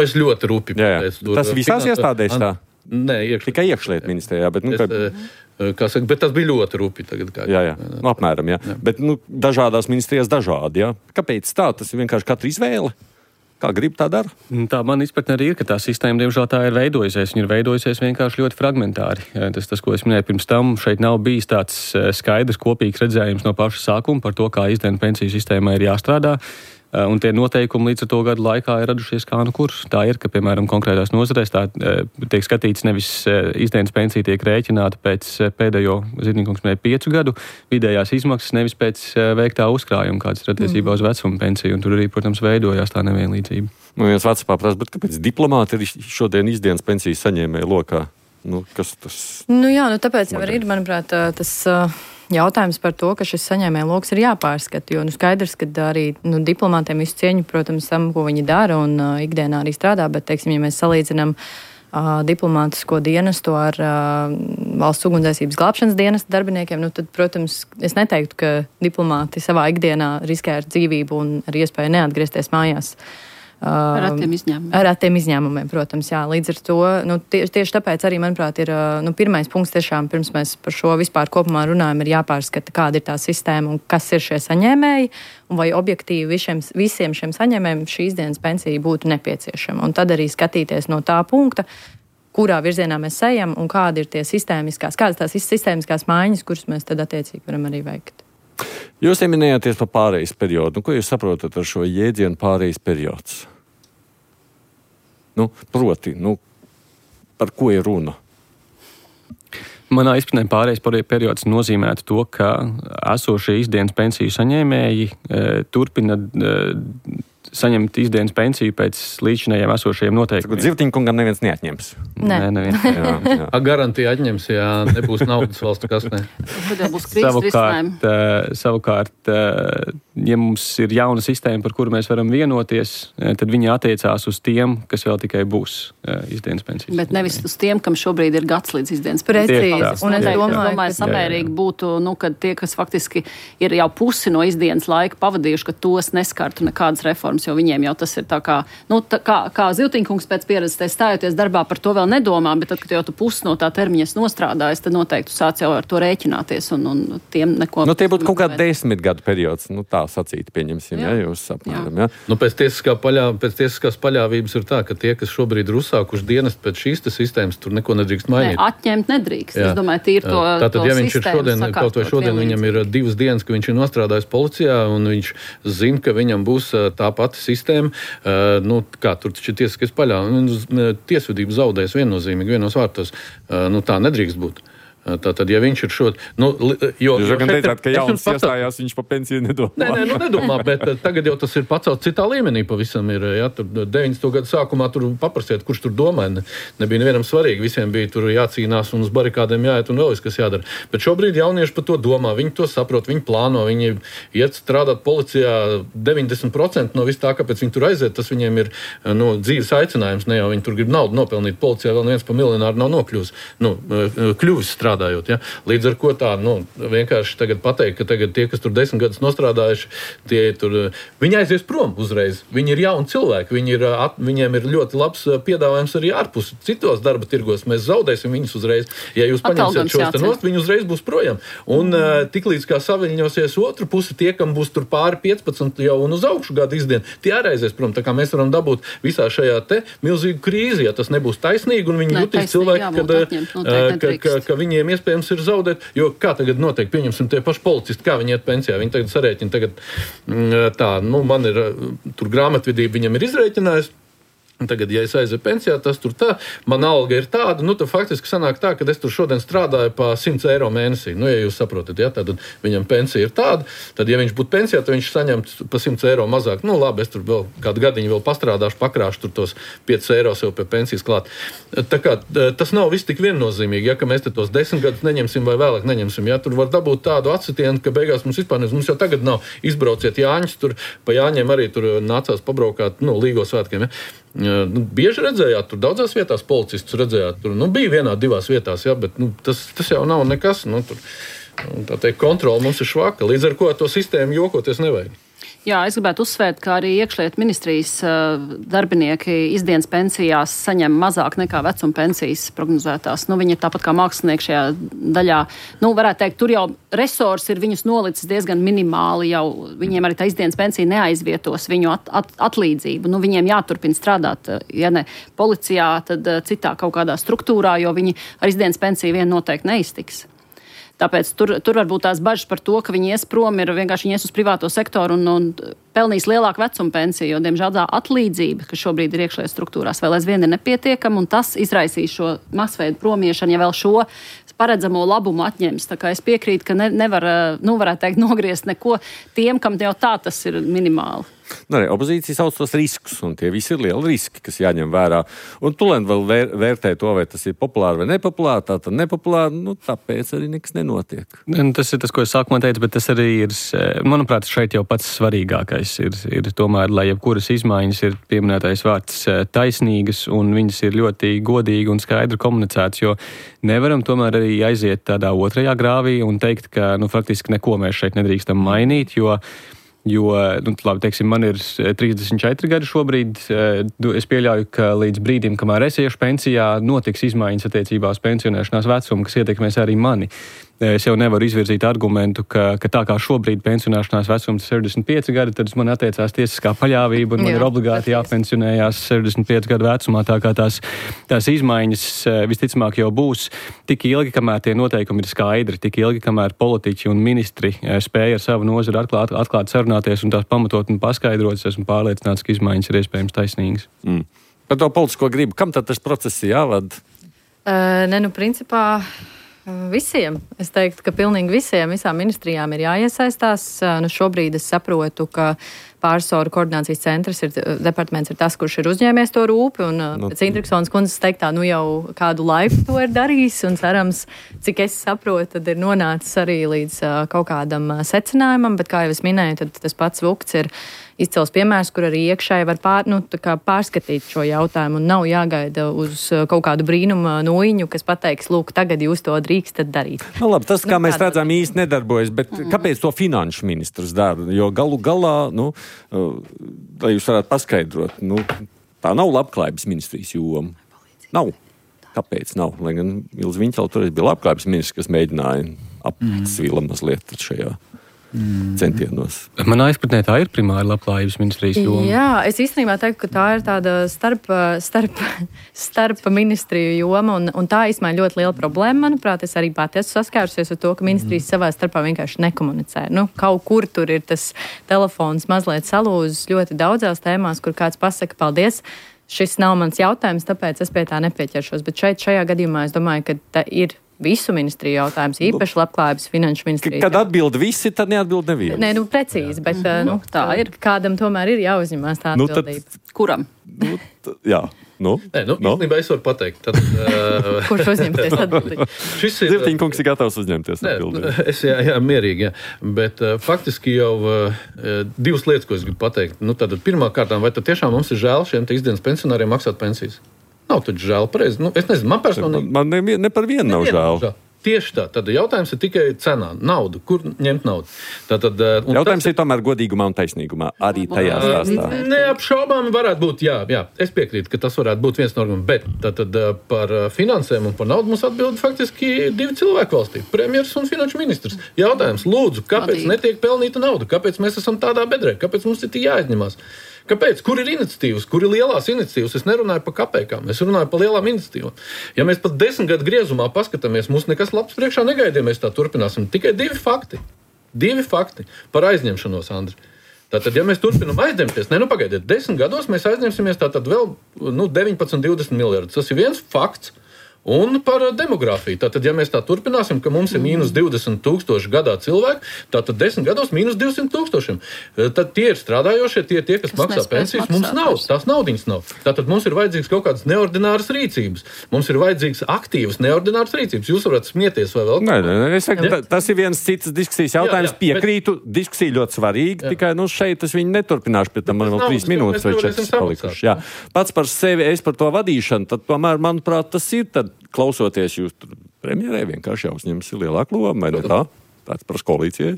Es ļoti rupi pateicu. Tas visās iestādēs tā? Nē, tikai iekšlietu ministrijā. Bet, bet tas bija ļoti rupi tagad. Jā. Apmēram, jā. Bet dažādās ministrijās dažādi, jā. Kāpēc tā? Tas ir vienkārši katra izvēle. Kā grib, tā dara? Tā man izpratne arī ir, ka tā sistēma, diemžēl, tā ir veidojusies. Viņa ir veidojusies vienkārši ļoti fragmentāri. Tas, ko es minēju pirms tam, šeit nav bijis tāds skaidrs, kopīgs redzējums no paša sākuma par to, kā izdienas pensiju sistēmai ir jāstrādā. Un tie noteikumi līdz ar to gadu laikā ir radušies kā nu kur. Tā ir, ka, piemēram, konkrētās nozarēs tā tiek skatīts nevis izdienas pensija tiek rēķināta pēc pēdējo, Zirnīkungs minēja, 5 gadu vidējās izmaksas, nevis pēc veiktā uzkrājuma, kāds ir attiecībā uz vecuma pensiju. Un tur arī, protams, veidojās tā nevienlīdzība. Viens Vācijā prasa, bet kāpēc diplomāti ir šodien izdienas pensijas saņēmēji lokā? Kas tas? Tāpēc jau ir, manuprāt, tas jautājums par to, ka šis saņēmēja loks ir jāpārskata, jo skaidrs, ka arī diplomātiem visu cieņu, protams, tam, ko viņi dara un ikdienā arī strādā, bet, teiksim, ja mēs salīdzinām diplomātisko dienestu ar valsts ugunsdzēsības glābšanas dienesta darbiniekiem, tad, protams, es neteiktu, ka diplomāti savā ikdienā riskē ar dzīvību un ar iespēju neatgriezties mājās. Ar attiem izņēmumiem, protams, jā. Līdz ar to, tieši tāpēc arī, manuprāt, ir pirmais punkts tiešām, pirms mēs par šo vispār kopumā runājam, ir jāpārskata, kāda ir tā sistēma un kas ir šie saņēmēji, un vai objektīvi visiem šiem saņēmējiem šī izdienas pensija būtu nepieciešama. Un tad arī skatīties no tā punkta, kurā virzienā mēs ejam un kādas ir tās sistēmiskās maiņas, kuras mēs tad attiecīgi varam arī veikt. Jūs ieminējāties par pārejas periodu. Ko jūs saprotat ar šo jēdzienu pārejas periods? Proti, par ko ir runa? Manā izpratnē pārejas periods nozīmētu to, ka esošie izdienas pensiju saņēmēji turpina saņemt izdienas pensiju pēc līdzinējiem esošajiem noteikumiem. Zivtiņkungam neviens neatņems. Nē, neviens. Jā. Garantija atņems, ja nebūs naudas valstu kasnē. Savukārt, ja mums ir jauna sistēma, par kuru mēs varam vienoties, tad viņi attiecās uz tiem, kas vēl tikai būs izdienas pensijas. Bet nevis uz tiem, kam šobrīd ir gads līdz izdienas pensijas. Precīzi. Un es domāju, samērīgi būtu, kad tie, kas faktiski ir jau pusi no izdienas laika pavadījuši, ka tos neskartu nekādas reformas, jo viņiem jau tas ir tā kā Zivtiņkungs pēc pieredzes stājoties darbā par to vēl nedomā, bet tad, kad jau tu pusi no tā termiņas nostrādājas, tad noteikti sāc jau ar to rēķināties un tiem neko... tie būtu kaut kā 10 gadu periods, tā sacīt, pieņemsim, ja jūs apmēram, ja? Pēc tiesiskās paļāvības ir tā, ka tie, kas šobrīd ir uzsākuši dienestu pēc šīs sistēmas, tur neko nedrīkst mainīt. Atņemt nedrīkst. Es domāju, tīri to tātad, ja viņš ir šodien viņam ir 2 dienas, ka viņš ir nostrādājis policijā un viņš zina, ka viņam būs tā pati sistēma, kā tur taču ir tiesiskais paļāvības, tiesvedība zaudēs viennozīmīgi vienos vārtos. Tā nedrīkst būt. Tātad, ja viņš ir Jūs gan teicāt, ka jauns iestājās, viņš pa pensiju nedomā. Nē, nedomā, bet tagad jau tas ir pacelts citā līmenī pavisam ir. Ja, tur 90. gadu sākumā tur paprasiet, kurš tur domāja. Nebija nevienam svarīgi, visiem bija tur jācīnās un uz barikādēm jāiet un vēl kas jādara. Bet šobrīd jaunieši par to domā, viņi to saprot, viņi plāno, viņi iet strādāt policijā 90% no vis tā, kāpēc viņi tur aiziet, tas viņiem ir dzīves aicinājums, ne jau viņi tur grib naudu nopelnīt. Policijā vēl neviens pa miljonāru nav nokļuvis, kļuvis strādājot. Ja? Līdz ar ko tā, vienkārši tagad pateikt, ka tagad tie, kas tur 10 gadus nostrādājuši, viņi aizies prom uzreiz. Viņi ir jauni cilvēki, viņiem ir ļoti labs piedāvājums arī ārpus citos darba tirgos. Mēs zaudēsim viņus uzreiz. Ja jūs paņemsiet šos te nost, viņi uzreiz būs projām. Un tiklīdz kā saviņosies otru pusi, tie, kam būs tur pāri 15 jau un uz augšu gadu izdien, tie arī aizies prom. Tā kā mēs varam dabūt visā šajā te milzīgu krīzi, ja tas nebūs taisnīgi, un viņi jutīs cilvēki, ka viņiem iespējams ir zaudēt, jo kā tagad notiek, pieņemsim tie paši policisti, kā viņi iet pensijā, viņi tagad sarēķina, man ir, tur grāmatvedība viņam ir izrēķinājis, tagad, ja es aizēju pensijā, tas tur tā, man alga ir tāda, tad faktiski sanāk tā, ka es tur šodien strādāju pa 100 eiro mēnesī. Ja jūs saprotat, ja, tad viņam pensija ir tāda, tad, ja viņš būtu pensijā, tad viņš saņemtu pa 100 eiro mazāk. Labi, es tur vēl kādu gadiņu vēl pastrādāšu, pakrāšu tur tos 5 eiro sev pie pensijas klāt. Tā kā tas nav viss tik viennozīmīgi, ja, ka mēs te tos 10 gadus neņemsim vai vēlāk neņemsim. Ja, tur var dabūt tādu atsitienu, ka beigās mums vispār mums jau tagad nav izbrauciet Jāņus, tur pa Jāņiem arī tur nācās pabraukāt, Līgo svētkiem, ja. Bieži redzējāt, tur daudzās vietās policistus redzējāt, tur bija vienā, divās vietās, ja, bet tas jau nav nekas, tur, tā teikt, kontrola mums ir švaka, līdz ar ko to sistēmu jokoties nevajag. Jā, es gribētu uzsvērt, ka arī iekšlietu ministrijas darbinieki izdienas pensijās saņem mazāk nekā vecuma pensijas prognozētās. Viņi ir tāpat kā mākslinieki šajā daļā. Varētu teikt, tur jau resursi ir viņus nolicis diezgan minimāli, jau viņiem arī tā izdienas pensija neaizvietos viņu atlīdzību. Viņiem jāturpina strādāt, ja ne policijā, tad citā kaut kādā struktūrā, jo viņi ar izdienas pensiju vien noteikti neiztiks. Tāpēc tur var būt tās bažas par to, ka viņi ies prom, vienkārši ies uz privāto sektoru un pelnīs lielāku vecuma pensiju, jo, diemžēl, tā atlīdzība, kas šobrīd ir iekšējās struktūrās, vēl aizvien ir nepietiekama, un tas izraisīs šo masveidu promiešanu, ja vēl šo paredzamo labumu atņems. Tā kā es piekrītu, ka nevar, varētu teikt, nogriezt neko tiem, kam jau tā tas ir minimāli. Arī opozīcija sauc tos riskus, un tie visi ir lieli riski, kas jāņem vērā. Un Tulēn vēl vērtē to, vai tas ir populāri vai nepopulāri, tātad nepopulāri, tāpēc arī nekas nenotiek. Tas ir tas, ko es sākumā teicu, bet tas arī ir, manuprāt, šeit jau pats svarīgākais ir tomēr, lai jebkuras izmaiņas ir pieminētais vārds taisnīgas, un viņas ir ļoti godīgi un skaidri komunicētas, jo nevaram tomēr arī aiziet tādā otrajā grāvī un teikt, ka, faktiski neko mēs šeit nedrīkstam mainīt, jo, labi, teiksim, man ir 34 gadi šobrīd. Es pieļauju, ka līdz brīdim, kamēr es iešu pensijā, notiks izmaiņas attiecībā uz pensionēšanās vecumu, kas ietekmēs arī mani. Es jau nevaru izvirzīt argumentu, ka tā kā šobrīd pensionēšanās vecums ir 65 gadi, tad man attiecās tiesiskā paļāvība un man ir obligāti jāpensionējās 65 gadu vecumā. Tā kā tās izmaiņas visticamāk jau būs tik ilgi, kamēr tie noteikumi ir skaidri, tik ilgi, kamēr politiķi un ministri spēja ar savu nozari atklāt sarunāties un tās pamatot un paskaidrot. Es esmu pārliecināts, ka izmaiņas ir iespējams taisnīgas. Par to politisko gribu, kam tad tas process jāvada? Principā visiem. Es teiktu, ka pilnīgi visām ministrijām ir jāiesaistās. Šobrīd es saprotu, ka pārsoru koordinācijas centrs departaments ir tas, kurš ir uzņēmies to rūpi, un pēc Indriksonas kundzes teiktā, jau kādu laiku to ir darījis, un cerams, cik es saprotu, tad ir nonācis arī līdz kaut kādam secinājumam, bet, kā jau es minēju, tad tas pats Vukts ir izcils piemērs, kur arī iekšēji var pārskatīt šo jautājumu, un nav jāgaida uz kaut kādu brīnumu nūjiņu, kas pateiks, lūk, tagad jūs to drīkstat darīt. Labi, tas, kā mēs redzam, īsti nedarbojas, bet kāpēc to finanšu ministrs dara? Jo galu galā, lai jūs varētu paskaidrot, tā nav labklājības ministrijas joma. Nav. Kāpēc nav? Lai gan Ilze Viņķela toreiz bija labklājības ministrs, kas mēģināja apsvila mazliet šajā centienos. Manā izpratnē tā ir primāri labklājības ministrijas joma. Jā, es īstenībā teiktu, ka tā ir tāda starp ministriju joma, un tā īstenībā ļoti liela problēma, manuprāt. Es arī pati esmu saskārusies ar to, ka ministrijas savā starpā vienkārši nekomunicē. Kaut kur tur ir tas telefons mazliet salūzis ļoti daudzās tēmās, kur kāds pasaka paldies. Šis nav mans jautājums, tāpēc es pie tā nepieķeršos. Bet šajā gadījumā es domāju, ka tā ir visu ministriju jautājums, īpaši labklājības finanšu ministrija. Kad atbild visi, tad neatbild neviens. Nē, precīzi, bet tā ir. Kādam tomēr ir jāuzņemās tā atbildība. Kuram? Jā. Īstenībā es varu pateikt. Kurš uzņemties atbildību? Zirtiņkungs ir gatavs uzņemties atbildību. Jā, mierīgi, jā. Bet faktiski jau divas lietas, ko es gribu pateikt. Tad pirmā kārtām, vai tad tiešām mums ir žēl šiem izdienas pensionāriem maksāt pensijas? Nav taču žēl, pareizi. Es nezinu, man personīgi. Man ne par vienu nav žēl. Tieši tā. Tad jautājums ir tikai cenā. Naudu. Kur ņemt naudu? Jautājums ir tomēr godīgumā un taisnīgumā. Arī tajā stāstā. Neapšaubāmi varētu būt, jā. Es piekrītu, ka tas varētu būt viens no argumentiem. Bet par finansēm un par naudu mums atbild faktiski divi cilvēki valstī. Premjers un finanšu ministrs. Jautājums, lūdzu, kāpēc netiek pelnīta nauda? Kāpēc mēs esam tādā bedrē? Kāpēc mums ir jāizņemās? Kāpēc? Kur ir iniciatīvas? Kur ir lielās iniciatīvas? Es nerunāju par kapekām, es runāju par lielām iniciatīvām. Ja mēs pat 10 gadu griezumā paskatāmies, mums nekas labs priekšā negaidīja, mēs tā turpināsim. Tikai divi fakti par aizņemšanos, Andri. Tātad, ja mēs turpinām aizņemties, pagaidiet, 10 gados mēs aizņemsimies tātad vēl 19-20 miljardus. Tas ir viens fakts. Un par demogrāfiju. Tātad, ja mēs tā turpināsim, ka mums ir mīnus 20 000 gadā cilvēki, tātad 10 gados mīnus 200 000. Tad tie ir strādājošie, tie kas maksā pensijas. Mums nav, tās naudiņas nav. Tātad mums ir vajadzīgs kaut kādas neordināras rīcības. Mums ir vajadzīgs aktīvas neordināras rīcības. Jūs varat smieties vai vēl? Nē, es saku, tas ir viens cits diskusijas jautājums. Piekrītu, diskusija ļoti svarīga, tikai šeit es viņu neturpināšu, pēc tam man vēl 3 minūtes vai 4 palikuši. Jā. Pats par sevi, es par to vadīšanu, tad tomēr, manuprāt, tas ir tad klausoties jūs premjerē vienkārši jāuzņemas lielāku lomu, vai ne tā? Tāds par koalīcijai.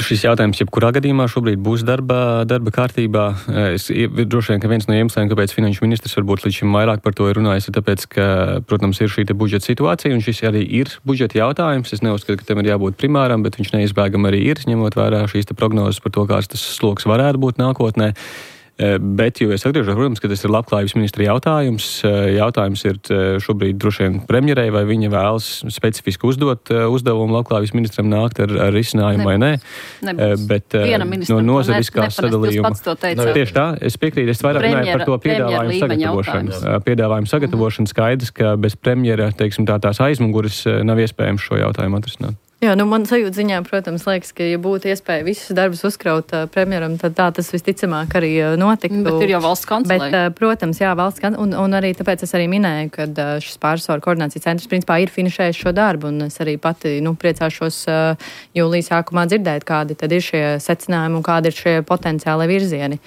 Šis jautājums jebkurā gadījumā šobrīd būs darba kārtībā. Droši vien, ka viens no iemesliem, kāpēc finanšu ministrs varbūt līdz šim vairāk par to ir runājis, ir tāpēc, ka, protams, ir šī budžeta situācija, un šis arī ir budžeta jautājums. Es neuzskatu, ka tam ir jābūt primāram, bet viņš neizbēgam arī ir, ņemot vērā šīs prognozes par to, kāds tas sloks varētu būt nākotnē. Bet, jo es atgriežos, protams, ka tas ir labklājības ministra jautājums. Jautājums ir šobrīd droši vien premjerei, vai viņa vēlas specifiski uzdot uzdevumu labklājības ministram nākt ar risinājumu vai nē. Bet no nozariskās sadalījuma. Tieši tā, es piekrītu, es vairāk runāju par to piedāvājumu sagatavošanu. Skaidrs, ka bez premjera, teiksim, tās aizmuguras nav iespējams šo jautājumu atrisināt. Jā, man sajūta ziņā, protams, liekas, ka, ja būtu iespēja visus darbus uzkraut premjeram, tad tā tas visticamāk arī notiktu. Bet ir jau valsts kancelē. Bet, protams, jā, valsts kancelē, un arī tāpēc es arī minēju, ka šis pārsvaru koordinācijas centrs principā ir finišējis šo darbu, un es arī pati, priecāšos jūlijas sākumā dzirdēt, kādi tad ir šie secinājumi un kādi ir šie potenciāli virzieni.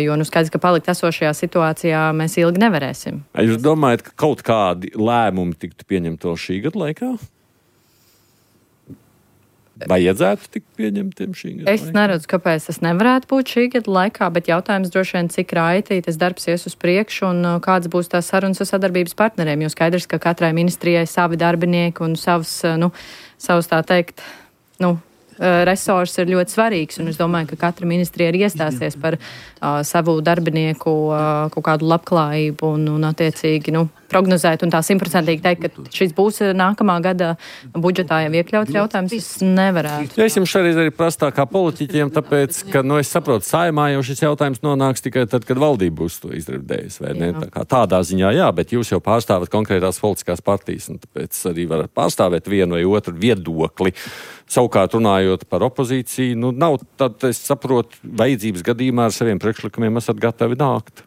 Jo, skaidrs, ka palikt esošajā situācijā mēs ilgi nevarēsim. Jūs domājat, ka kaut kādi lēmumi tiktu pieņemti vēl šī gada laikā? Vajadzētu tikt pieņemtiem šī gada laikā? Es neredzu, kāpēc tas nevarētu būt šī gada laikā, bet jautājums droši vien, cik raitī tas darbs ies uz priekšu un kāds būs tās sarunas ar sadarbības partneriem, jo skaidrs, ka katrai ministrijai savi darbinieki un savs tā teikt, resurs ir ļoti svarīgs, un es domāju, ka katra ministrija ir iestāsies par savu darbinieku kaut kādu labklājību un attiecīgi, prognozēt un tā 100% teikt, ka šis būs nākamā gada budžetā jau iekļauts jautājums, es nevarētu. Ja es jums šoreiz arī prastā kā politiķiem, tāpēc, ka, es saprotu, Saeimā jau šis jautājums nonāks tikai tad, kad valdība būs to izredzējusi, vai ne? Tādā ziņā, jā, bet jūs jau pārstāvat konkrētās politiskās partijas, un tāpēc arī varat pārstāvēt vienu vai otru viedokli. Savukārt runājot par opozīciju, nav tad, es saprotu, vajadzības gadījumā ar saviem priekšlikumiem esat gatavi nākt.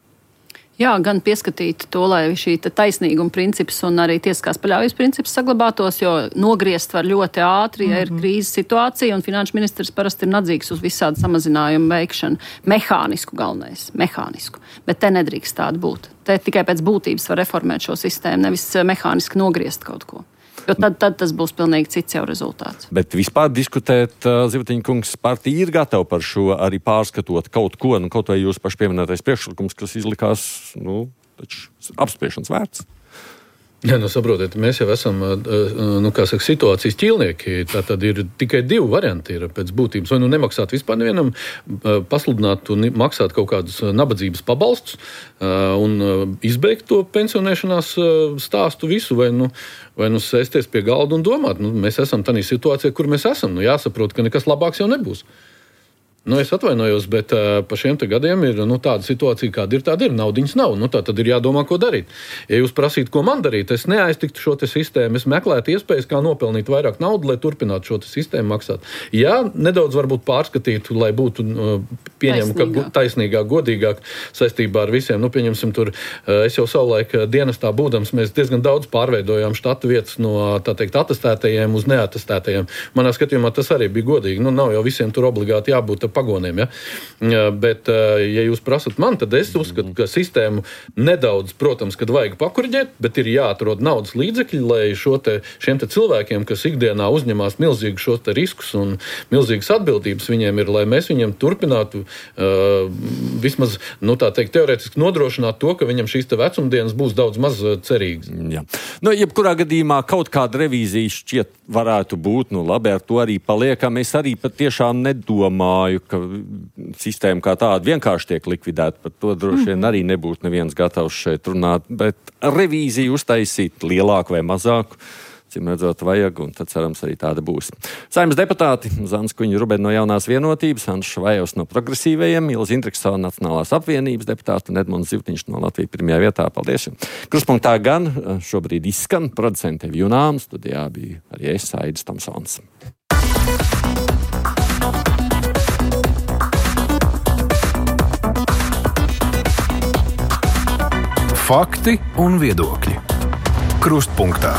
Jā, gan pieskatīt to, lai šī taisnīguma princips un arī tiesiskās paļāvības princips saglabātos, jo nogriezt var ļoti ātri, ja ir krīzes situācija, un finanšu ministrs parasti ir nadzīgs uz visādu samazinājumu veikšanu. Mehānisku galvenais, bet te nedrīkst tāda būt. Te tikai pēc būtības var reformēt šo sistēmu, nevis mehāniski nogriezt kaut ko. Jo tad tas būs pilnīgi cits jau rezultāts. Bet vispār diskutēt, Zivtiņa kungs, partija ir gatava par šo arī pārskatot kaut ko, kaut vai jūs paši pieminētais priekšlikums, kas izlikās, taču apspriešanas vērts. Jā, saprotiet, mēs jau esam, situācijas ķīlnieki. Tātad ir tikai divi varianti ir pēc būtības. Vai nemaksāt vispār nevienam, pasludināt un maksāt kaut kādus nabadzības pabalstus un izbeigt to pensionēšanās stāstu visu, vai sēsties pie galda un domāt. Mēs esam tādā situācijā, kur mēs esam. Jāsaprot, ka nekas labāks jau nebūs. Es atvainojos, bet pa šiem gadiem ir tāda situācija, kāda ir. Naudiņas nav. Tā tad ir jādomā, ko darīt. Ja jūs prasītu, ko man darīt, es neaiztiktu šo sistēmu. Es meklētu iespējas, kā nopelnīt vairāk naudu, lai turpinātu šo sistēmu maksāt. Jā, nedaudz varbūt pārskatītu, lai būtu pieņemama taisnīgāk, godīgāk saistībā ar visiem. Pieņemsim tur, es jau savulaik dienestā būdams, mēs diezgan daudz pārveidojām štatu vietas no, atestētajiem uz neatestētajiem. Manā skatījumā tas arī bija godīgi. Nav jau visiem tur obligāti jābūt pagoniem, ja? Bet, ja jūs prasat man, tad es uzskatu, ka sistēmu nedaudz, protams, kad vajag pakuriģēt, bet ir jāatrod naudas līdzekļi, lai šiem cilvēkiem, kas ikdienā uzņemās milzīgu šos riskus un milzīgas atbildības viņiem ir, lai mēs viņiem turpinātu vismaz, teorētiski nodrošināt to, ka viņam šīs vecumdienas būs daudz maz cerīgas. Jā. Jebkurā gadījumā kaut kāda revīzija šķiet varētu būt, labi, ar to arī paliekam. Es arī patiešām nedomāju, ka sistēma kā tāda vienkārši tiek likvidēta. Par to droši vien arī nebūtu neviens gatavs šeit runāt, bet revīziju uztaisīt lielāku vai mazāku, cim redzot vajag, un tad cerams arī tāda būs. Saeimas deputāti Zandis Kuņģa-Rubene no Jaunās vienotības, Andris Švajovs no Progresīvajiem, Ilze Indriksone Nacionālās apvienības deputāti un Edmunds Zivtiņš no Latvijas pirmajā vietā. Paldies! Kruspunktā gan šobrīd izskan producente Junām, studijā bija arī es, Aidis Tomsons. Fakti un viedokļi. Krustpunktā.